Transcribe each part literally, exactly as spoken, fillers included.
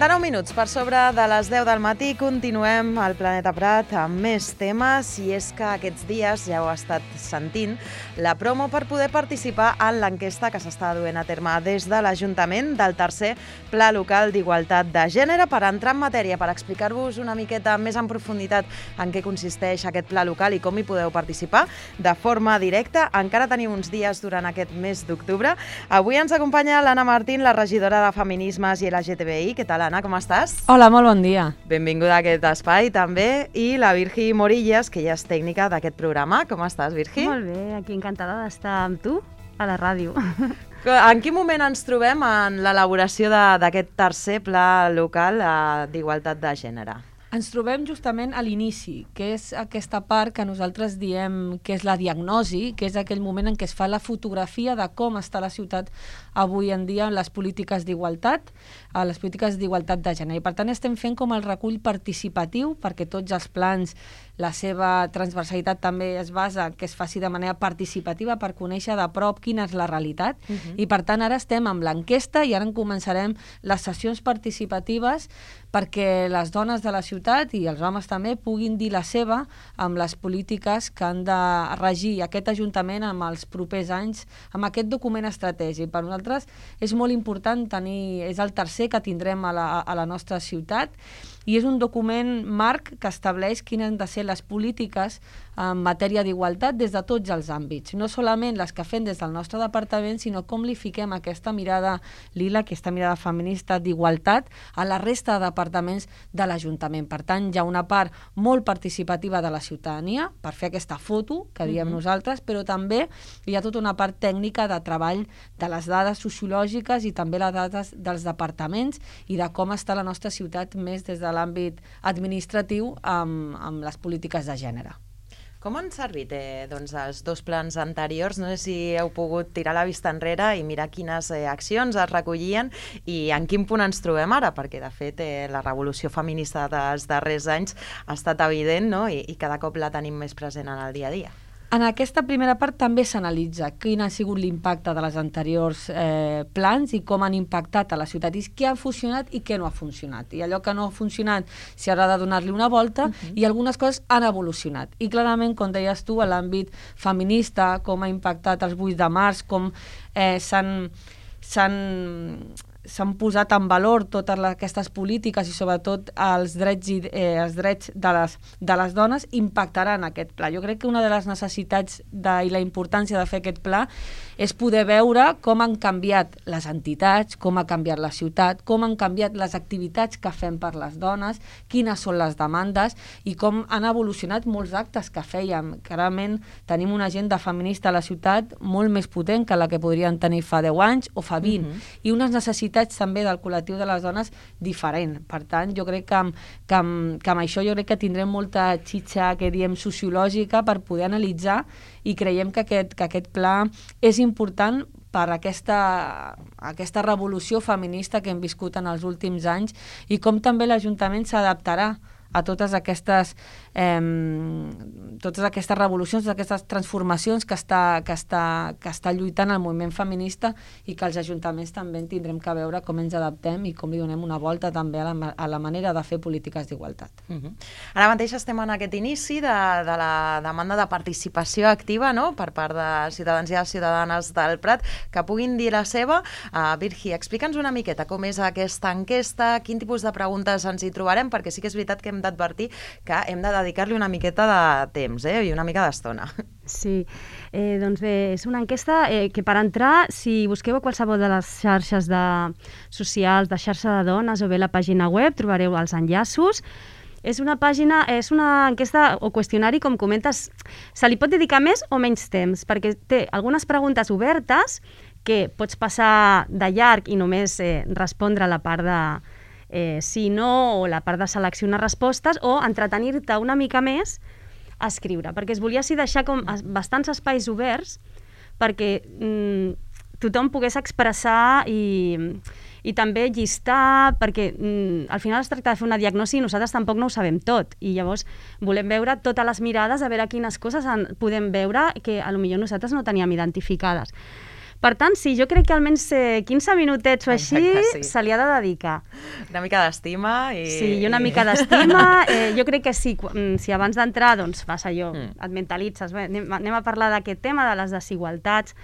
trenta-nou minuts per sobre de les deu del matí. Continuem al Planeta Prat amb més temes, i és que aquests dies ja ho ha estat sentint la promo per poder participar en l'enquesta que s'està duent a terme des de l'Ajuntament del tercer Pla Local d'Igualtat de Gènere. Per entrar en matèria, per explicar-vos una miqueta més en profunditat en què consisteix aquest Pla Local i com hi podeu participar de forma directa, encara teniu uns dies durant aquest mes d'octubre. Avui ens acompanya l'Anna Martín, la regidora de Feminismes i L G T B I. Què tal, Anna? Com estàs? Hola, molt bon dia. Benvinguda a aquest espai, també. I la Virgi Morillas, que ja és tècnica d'aquest programa. Com estàs, Virgi? Molt bé, aquí encantada d'estar amb tu a la ràdio. En quin moment ens trobem en l'elaboració d'aquest tercer Pla Local d'Igualtat de Gènere? Ens trobem justament a l'inici, que és aquesta part que nosaltres diem que és la diagnosi, que és aquell moment en què es fa la fotografia de com està la ciutat avui en dia en les polítiques d'igualtat, a les polítiques d'igualtat de gènere. I per tant estem fent com el recull participatiu, perquè tots els plans, la seva transversalitat també es basa que es faci de manera participativa per conèixer de prop quina és la realitat. Uh-huh. I per tant ara estem amb l'enquesta i ara en començarem les sessions participatives perquè les dones de la ciutat i els homes també puguin dir la seva amb les polítiques que han de regir aquest Ajuntament amb els propers anys, amb aquest document estratègic. Per nosaltres és molt important tenir, és el tercer que tindrem a la, a la nostra ciutat, i és un document marc que estableix quines han de ser les polítiques en matèria d'igualtat des de tots els àmbits. No solament les que fem des del nostre departament, sinó com li fiquem aquesta mirada lila, aquesta mirada feminista d'igualtat a la resta de departaments de l'Ajuntament. Per tant, hi ha una part molt participativa de la ciutadania per fer aquesta foto, que diem uh-huh. nosaltres, però també hi ha tota una part tècnica de treball de les dades sociològiques i també les dades dels departaments i de com està la nostra ciutat més des de l'àmbit administratiu amb, amb les polítiques de gènere. Com han servit eh, doncs, els dos plans anteriors? No sé si heu pogut tirar la vista enrere i mirar quines eh, accions es recollien i en quin punt ens trobem ara, perquè de fet eh, la revolució feminista dels darrers anys ha estat evident, no? I, i cada cop la tenim més present en el dia a dia. En aquesta primera part també s'analitza quin ha sigut l'impacte de les anteriors eh, plans i com han impactat a la ciutat, i què ha funcionat i què no ha funcionat. I allò que no ha funcionat s'hi haurà de donar-li una volta, uh-huh. i algunes coses han evolucionat. I clarament, com deies tu, a l'àmbit feminista, com ha impactat els vuit de març, com eh, s'han... s'han s'han posat en valor totes les, aquestes polítiques i sobretot els drets, i, eh, els drets de, les, de les dones impactaran aquest pla. Jo crec que una de les necessitats de, i la importància de fer aquest pla és poder veure com han canviat les entitats, com ha canviat la ciutat, com han canviat les activitats que fem per les dones, quines són les demandes i com han evolucionat molts actes que fèiem. Clarament tenim una agenda feminista a la ciutat molt més potent que la que podrien tenir fa deu anys o fa vint, uh-huh. i unes necessitats també del col·lectiu de les dones diferent. Per tant, jo crec que amb, que amb, que amb això jo crec que tindrem molta xitxa, que diem, sociològica per poder analitzar, i creiem que aquest, que aquest pla és important per aquesta, aquesta revolució feminista que hem viscut en els últims anys i com també l'Ajuntament s'adaptarà a totes aquestes, eh, totes aquestes revolucions, totes aquestes transformacions que està, que, està, que està lluitant el moviment feminista, i que els ajuntaments també en tindrem que veure com ens adaptem i com li donem una volta també a la, a la manera de fer polítiques d'igualtat. Uh-huh. Ara mateix estem en aquest inici de, de la demanda de participació activa, no?, per part de ciutadans i de ciutadanes del Prat, que puguin dir la seva. Uh, Virgi, explica'ns una miqueta com és aquesta enquesta, quin tipus de preguntes ens hi trobarem, perquè sí que és veritat que hem d'advertir que hem de dedicar-li una miqueta de temps eh, i una mica d'estona. Sí, eh, doncs bé, és una enquesta eh, que per entrar, si busqueu a qualsevol de les xarxes de socials, de xarxa de dones o bé la pàgina web, trobareu els enllaços. És una pàgina, és una enquesta o qüestionari, com comentes, se li pot dedicar més o menys temps, perquè té algunes preguntes obertes que pots passar de llarg i només eh, respondre a la part de Eh, sí, no, o la part de seleccionar respostes, o entretenir-te una mica més a escriure, perquè es volia així deixar com bastants espais oberts perquè mm, tothom pogués expressar i, i també llistar, perquè mm, al final es tracta de fer una diagnosi i nosaltres tampoc no ho sabem tot, i llavors volem veure totes les mirades, a veure quines coses en, podem veure que a lo millor nosaltres no teníem identificades. Per tant, sí, jo crec que almenys eh, quinze minutets o així Exacte, sí. se li ha de dedicar. Una mica d'estima i... Sí, i una mica d'estima. Eh, jo crec que sí, si abans d'entrar doncs, fas allò, Mm. et mentalitzes, bé, anem, anem a parlar d'aquest tema, de les desigualtats.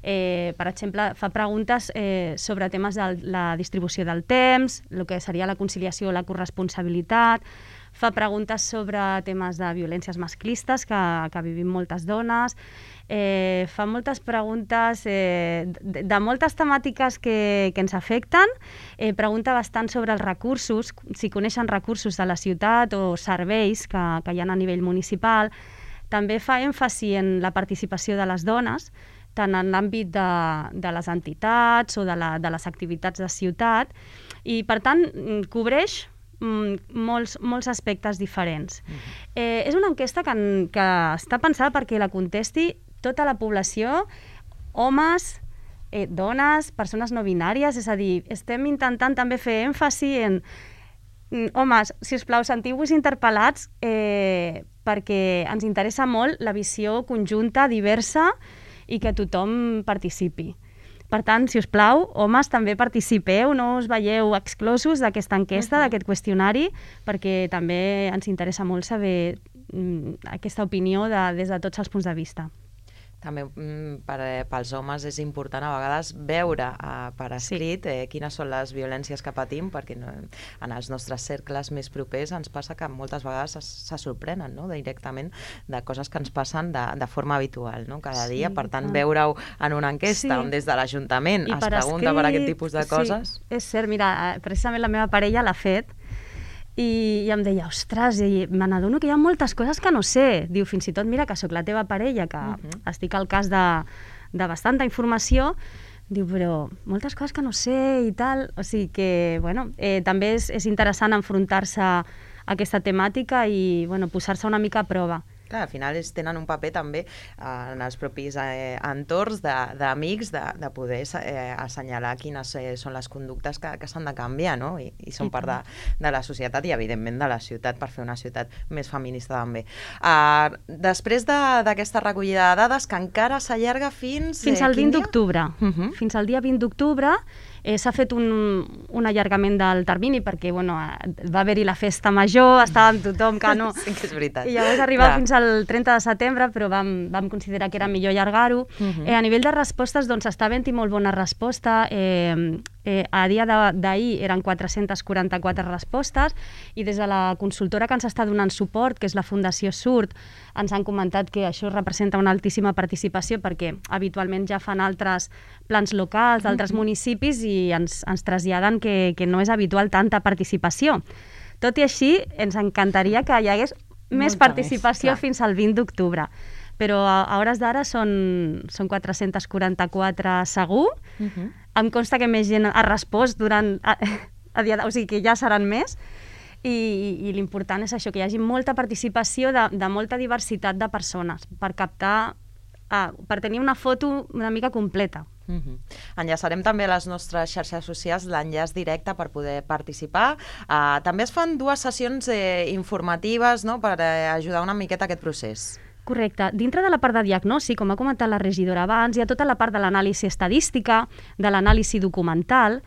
Eh, per exemple, fa preguntes eh, sobre temes de la distribució del temps, el que seria la conciliació o la corresponsabilitat, fa preguntes sobre temes de violències masclistes que, que vivim moltes dones, eh, fa moltes preguntes eh, de, de moltes temàtiques que, que ens afecten, eh, pregunta bastant sobre els recursos, si coneixen recursos de la ciutat o serveis que, que hi ha a nivell municipal. També fa èmfasi en la participació de les dones, tant en l'àmbit de, de les entitats o de, la, de les activitats de ciutat, i per tant cobreix molts, molts aspectes diferents. Mm-hmm. Eh, és una enquesta que, que està pensada perquè la contesti tota la població, homes, eh, dones, persones no binàries, és a dir, estem intentant també fer èmfasi en homes, si us plau, sentiu-vos interpel·lats eh, perquè ens interessa molt la visió conjunta, diversa, i que tothom participi. Per tant, si us plau, homes, també participeu, no us veieu exclosos d'aquesta enquesta, uh-huh. d'aquest qüestionari, perquè també ens interessa molt saber mm, aquesta opinió de, des de tots els punts de vista. També per, pels homes és important a vegades veure uh, per escrit sí. eh, quines són les violències que patim, perquè no, en els nostres cercles més propers ens passa que moltes vegades se, se sorprenen, no? Directament de coses que ens passen de, de forma habitual, no? Cada sí, dia. Per tant, veure-ho en una enquesta sí. on des de l'Ajuntament es pregunta escrit, per aquest tipus de coses... Sí, és cert, mira, precisament la meva parella l'ha fet, I, i em deia, ostres, i me n'adono que hi ha moltes coses que no sé. Diu, fins i tot, mira, que sóc la teva parella, que uh-huh. estic al cas de, de bastanta informació, diu, però moltes coses que no sé i tal. O sigui que, bueno, eh, també és, és interessant enfrontar-se a aquesta temàtica i, bueno, posar-se una mica a prova. Clar, al final es tenen un paper també eh, en els propis eh, entorns d'amics de, de, de poder eh, assenyalar quines eh, són les conductes que, que s'han de canviar, no? I, i són part de, de la societat i, evidentment, de la ciutat per fer una ciutat més feminista també. Uh, després d'aquesta de, recollida de dades, que encara s'allarga fins... Fins al eh, vint d'octubre. Uh-huh. Fins al dia vint d'octubre eh, s'ha fet un, un allargament del termini perquè, bueno, va haver-hi la festa major, estàvem tothom que no... Sí que és veritat. I llavors arribar fins el trenta de setembre, però vam, vam considerar que era millor allargar-ho. Uh-huh. eh, a nivell de respostes, doncs, està havent-hi molt bona resposta. Eh, eh, a dia d'ahir eren quatre-centes quaranta-quatre respostes i des de la consultora que ens està donant suport, que és la Fundació Surt, ens han comentat que això representa una altíssima participació perquè habitualment ja fan altres plans locals d'altres uh-huh. municipis i ens, ens traslladen que, que no és habitual tanta participació. Tot i així, ens encantaria que hi hagués més Molta participació més, fins al vint d'octubre. Però a, a hores d'ara són, són quatre-centes quaranta-quatre segur. Uh-huh. Em consta que més gent ha respost durant... A, a dia, o sigui que ja seran més. I, i, i l'important és això, que hi hagi molta participació de, de molta diversitat de persones per captar, ah, per tenir una foto una mica completa. Uh-huh. Enllaçarem també a les nostres xarxes socials l'enllaç directe per poder participar. Uh, també es fan dues sessions eh, informatives, no?, per eh, ajudar una miqueta a aquest procés. Correcte. Dintre de la part de diagnosi, com ha comentat la regidora abans, hi ha tota la part de l'anàlisi estadística, de l'anàlisi documental.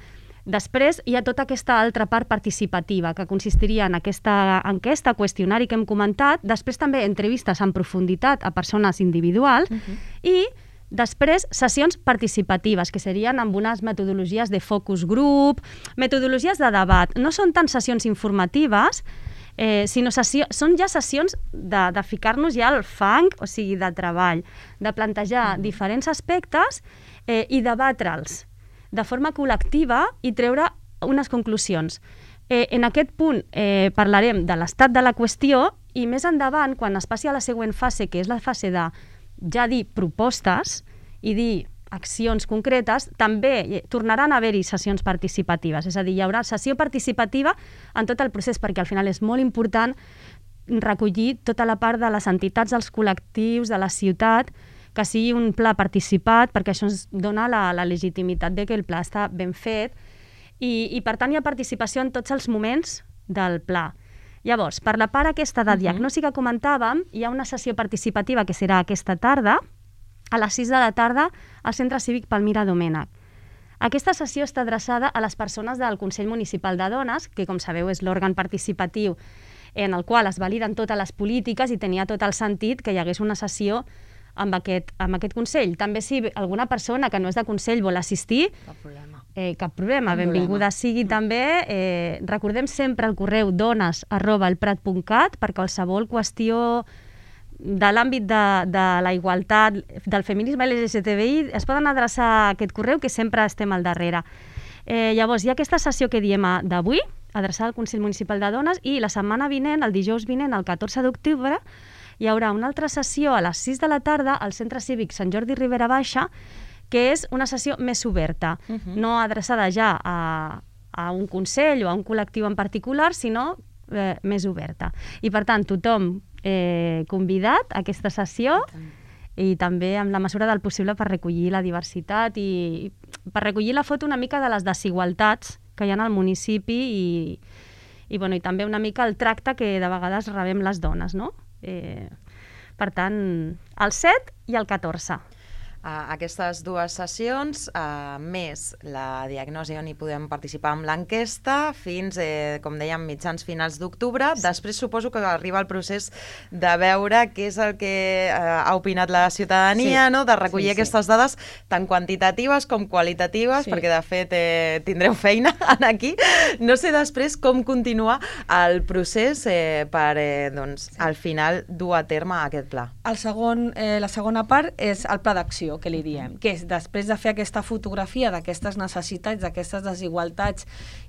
Després hi ha tota aquesta altra part participativa, que consistiria en aquesta enquesta, qüestionari que hem comentat, després també entrevistes en profunditat a persones individuals uh-huh. i després, sessions participatives, que serien amb unes metodologies de focus group, metodologies de debat. No són tant sessions informatives, eh, sinó sessió, són ja sessions de, de ficar-nos ja al fang, o sigui, de treball, de plantejar mm. diferents aspectes eh, i debatre'ls de forma col·lectiva i treure unes conclusions. Eh, en aquest punt eh, parlarem de l'estat de la qüestió i més endavant, quan es passi a la següent fase, que és la fase de ja dir propostes i dir accions concretes, també tornaran a haver-hi sessions participatives. És a dir, hi haurà sessió participativa en tot el procés, perquè al final és molt important recollir tota la part de les entitats, dels col·lectius, de la ciutat, que sigui un pla participat, perquè això ens dona la, la legitimitat de que el pla està ben fet i, i per tant hi ha participació en tots els moments del pla. Llavors, per la part aquesta de diagnosi que comentàvem, hi ha una sessió participativa que serà aquesta tarda, a les sis de la tarda al Centre Cívic Palmira Domènech. Aquesta sessió està adreçada a les persones del Consell Municipal de Dones, que, com sabeu, és l'òrgan participatiu en el qual es validen totes les polítiques i tenia tot el sentit que hi hagués una sessió amb aquest, amb aquest Consell. També si alguna persona que no és de Consell vol assistir, Cap problema. Eh, cap problema, Cap benvinguda problema. sigui també. Eh, recordem sempre el correu dones arroba elprat punt cat per qualsevol qüestió de l'àmbit de, de la igualtat, del feminisme L G T B I, es poden adreçar a aquest correu que sempre estem al darrere. Eh, llavors, hi ha aquesta sessió que diem d'avui, adreçada al Consell Municipal de Dones, i la setmana vinent, el dijous vinent, el catorze d'octubre, hi haurà una altra sessió a les sis de la tarda al Centre Cívic Sant Jordi Ribera Baixa, que és una sessió més oberta, uh -huh. no adreçada ja a, a un consell o a un col·lectiu en particular, sinó eh, més oberta. I per tant, tothom eh, convidat a aquesta sessió i també amb la mesura del possible per recollir la diversitat i per recollir la foto una mica de les desigualtats que hi ha al municipi i, i, bueno, i també una mica el tracte que de vegades rebem les dones, no? Eh, per tant, el set i el catorze. Uh, aquestes dues sessions, uh, més la diagnosi on hi podem participar amb l'enquesta, fins, eh, com dèiem, mitjans finals d'octubre. Sí. Després suposo que arriba el procés de veure què és el que uh, ha opinat la ciutadania, sí. no? De recollir sí, aquestes sí. dades tan quantitatives com qualitatives, sí. perquè de fet eh, tindreu feina aquí. No sé després com continua el procés eh, per, eh, doncs, sí. al final, dur a terme aquest pla. El segon, eh, la segona part és el pla d'acció, que li diem, que és després de fer aquesta fotografia d'aquestes necessitats, d'aquestes desigualtats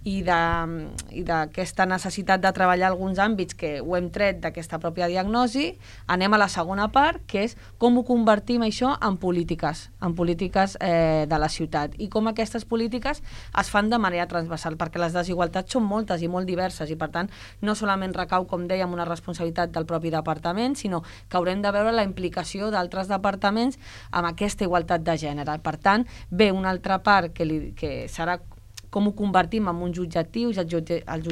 i d'aquesta necessitat de treballar alguns àmbits que ho hem tret d'aquesta pròpia diagnosi, anem a la segona part, que és com ho convertim això en polítiques, en polítiques eh, de la ciutat, i com aquestes polítiques es fan de manera transversal, perquè les desigualtats són moltes i molt diverses, i per tant no solament recau, com dèiem, una responsabilitat del propi departament, sinó que haurem de veure la implicació d'altres departaments amb aquesta igualtat de gènere. Per tant, ve una altra part que, li, que serà com ho convertim en uns objectius, els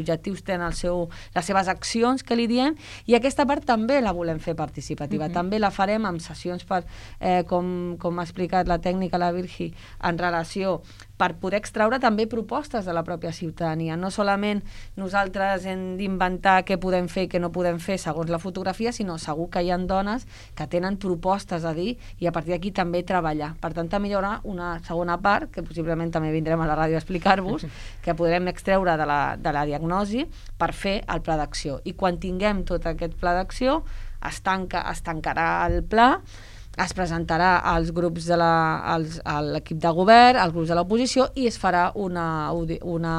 objectius tenen el seu, les seves accions, que li diem, i aquesta part també la volem fer participativa. Uh-huh. També la farem amb sessions, per, eh, com, com ha explicat la tècnica, la Virgi, en relació per poder extraure també propostes de la pròpia ciutadania. No solament nosaltres hem d'inventar què podem fer i què no podem fer segons la fotografia, sinó segur que hi ha dones que tenen propostes a dir i a partir d'aquí també treballar. Per tant, també hi haurà una segona part, que possiblement també vindrem a la ràdio a explicar-vos, que podrem extreure de la, de la diagnosi per fer el pla d'acció. I quan tinguem tot aquest pla d'acció, es, tanca, es tancarà el pla, es presentarà als grups de la, als, a l'equip de govern, als grups de l'oposició, i es farà una, una,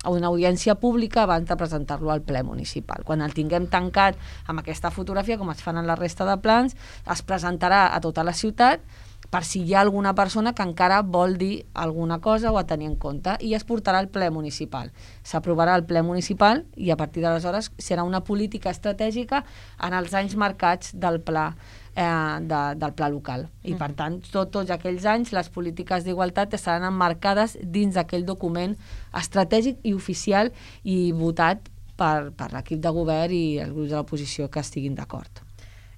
una audiència pública abans de presentar-lo al ple municipal. Quan el tinguem tancat amb aquesta fotografia, com es fan en la resta de plans, es presentarà a tota la ciutat per si hi ha alguna persona que encara vol dir alguna cosa o a tenir en compte, i es portarà al ple municipal. S'aprovarà al ple municipal i a partir d'aleshores serà una política estratègica en els anys marcats del pla eh, de, del pla local. I per tant, tot, tots aquells anys les polítiques d'igualtat estaran emmarcades dins d'aquell document estratègic i oficial i votat per, per l'equip de govern i els grups de l'oposició que estiguin d'acord.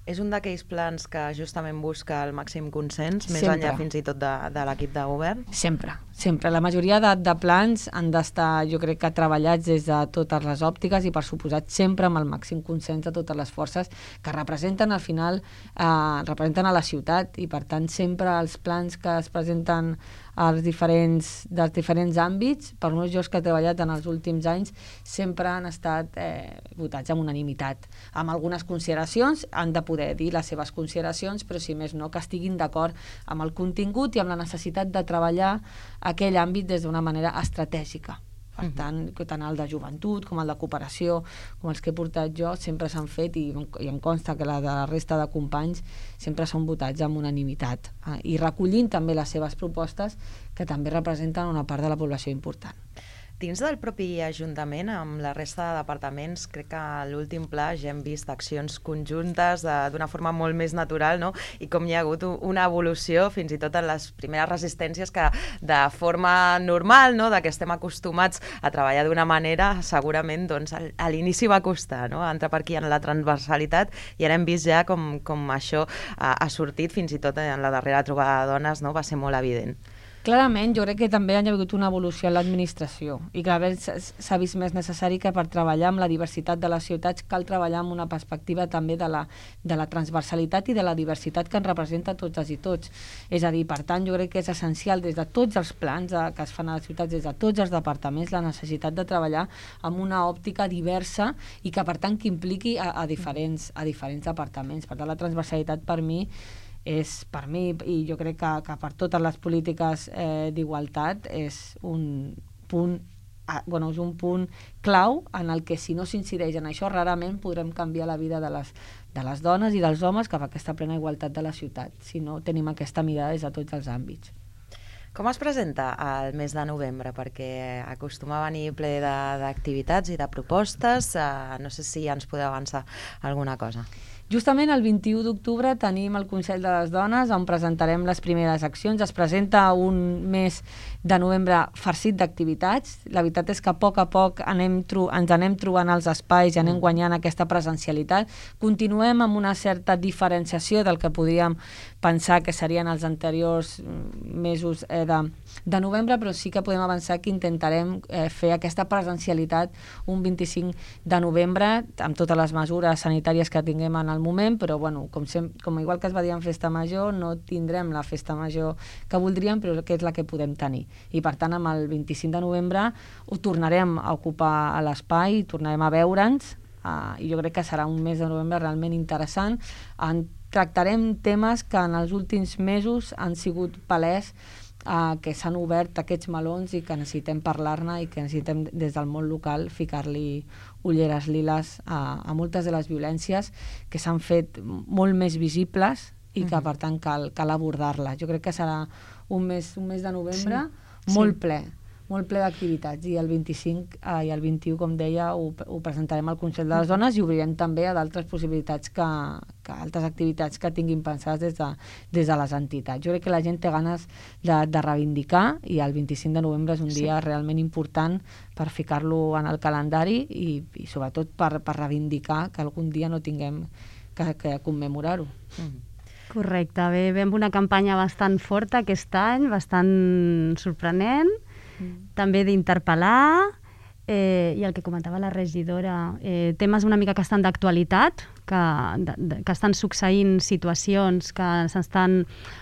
És un d'aquells plans que justament busca el màxim consens, més Sempre. enllà fins i tot de, de l'equip de govern? Sempre, sempre. La majoria de, de plans han d'estar, jo crec que treballats des de totes les òptiques i per suposat sempre amb el màxim consens de totes les forces que representen al final, eh, representen a la ciutat, i per tant sempre els plans que es presenten als diferents, dels diferents àmbits, per molts jocs que he treballat en els últims anys, sempre han estat eh, votats amb unanimitat. Amb algunes consideracions, han de poder dir les seves consideracions, però si més no, que estiguin d'acord amb el contingut i amb la necessitat de treballar aquell àmbit des d'una manera estratègica. Per tant, tant el de joventut com el de cooperació, com els que he portat jo, sempre s'han fet, i, i em consta que la de la resta de companys sempre són votats amb unanimitat, eh? I recollint també les seves propostes, que també representen una part de la població important. Dins del propi Ajuntament, amb la resta de departaments, crec que a l'últim pla ja hem vist accions conjuntes d'una forma molt més natural, no? I com hi ha hagut una evolució, fins i tot en les primeres resistències, que de forma normal, no? De que estem acostumats a treballar d'una manera, segurament doncs, a l'inici va costar, no? Entrar per aquí en la transversalitat, i ara hem vist ja com, com això ha, ha sortit, fins i tot en la darrera trobada de dones, no? Va ser molt evident. Clarament, jo crec que també ha hagut una evolució en l'administració i cada vegada s'ha vist més necessari que per treballar amb la diversitat de les ciutats cal treballar amb una perspectiva també de la, de la transversalitat i de la diversitat que ens representa totes i tots. És a dir, per tant, jo crec que és essencial des de tots els plans de, que es fan a les ciutats, des de tots els departaments, la necessitat de treballar amb una òptica diversa i que, per tant, que impliqui a, a, diferents, a diferents departaments. Per tant, la transversalitat per mi és, per mi, i jo crec que, que per totes les polítiques eh, d'igualtat, és un punt eh, bueno, és un punt clau en el que si no s'incideix en això rarament podrem canviar la vida de les, de les dones i dels homes cap a aquesta plena igualtat de la ciutat, si no tenim aquesta mirada des de tots els àmbits. Com es presenta el mes de novembre? Perquè acostuma a venir ple d'activitats i de propostes. Uh, no sé si ja ens podeu avançar alguna cosa. Justament el vint-i-u d'octubre tenim el Consell de les Dones on presentarem les primeres accions. Es presenta un mes de novembre farcit d'activitats. La veritat és que a poc a poc anem ens anem trobant els espais i anem guanyant aquesta presencialitat. Continuem amb una certa diferenciació del que podríem pensar que serien els anteriors mesos eh, de, de novembre, però sí que podem avançar que intentarem eh, fer aquesta presencialitat un vint-i-cinc de novembre amb totes les mesures sanitàries que tinguem en el moment, però bueno, com, sem com igual que es va dir en festa major, no tindrem la festa major que voldríem, però que és la que podem tenir. I per tant, amb el vint-i-cinc de novembre ho tornarem a ocupar a l'espai, tornarem a veure'ns, uh, i jo crec que serà un mes de novembre realment interessant. En tractarem temes que en els últims mesos han sigut palès, Uh, que s'han obert aquests melons i que necessitem parlar-ne i que necessitem des del món local ficar-li ulleres liles a, a moltes de les violències que s'han fet molt més visibles i que, per tant, cal, cal abordar-les. Jo crec que serà un mes, un mes de novembre sí. molt sí. ple, molt ple d'activitats, i el vint-i-cinc eh, i el vint-i-u, com deia, ho, ho presentarem al Consell de les Dones i obrirem també a d'altres possibilitats, que, que altres activitats que tinguin pensades des de, des de les entitats. Jo crec que la gent té ganes de, de reivindicar, i el vint-i-cinc de novembre és un sí. dia realment important per ficar-lo en el calendari i, i sobretot per, per reivindicar que algun dia no tinguem que, que commemorar-ho. Mm. Correcte, bé, ve amb una campanya bastant forta aquest any, bastant sorprenent, també d'interpel·lar, eh, i el que comentava la regidora, eh, temes una mica que estan d'actualitat, que, de, de, que estan succeint situacions que s'estan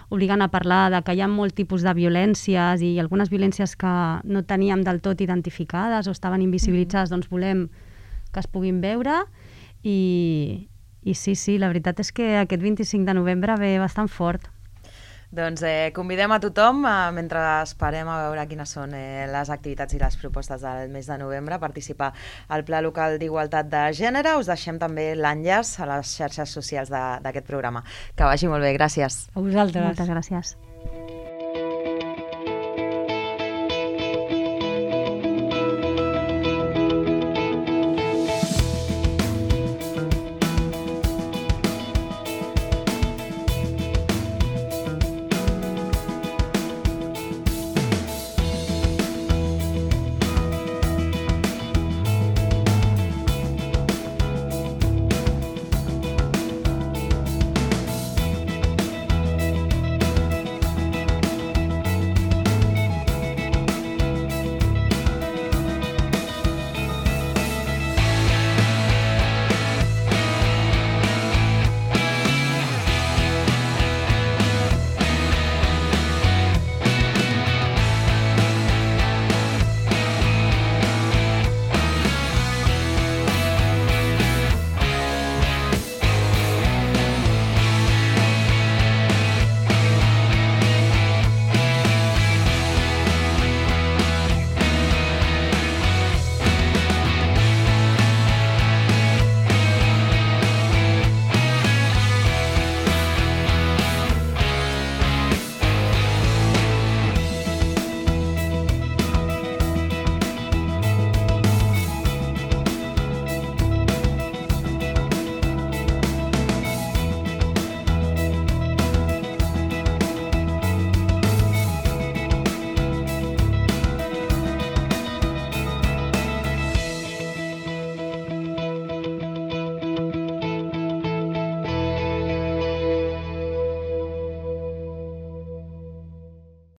obligant a parlar de que hi ha molt tipus de violències i algunes violències que no teníem del tot identificades o estaven invisibilitzades, mm-hmm. doncs volem que es puguin veure, i, i sí, sí, la veritat és que aquest vint-i-cinc de novembre ve bastant fort. Doncs eh, convidem a tothom, eh, mentre esperem a veure quines són eh, les activitats i les propostes del mes de novembre, a participar al Pla Local d'Igualtat de Gènere. Us deixem també l'enllaç a les xarxes socials d'aquest programa. Que vagi molt bé, gràcies. A vosaltres. Moltes gràcies.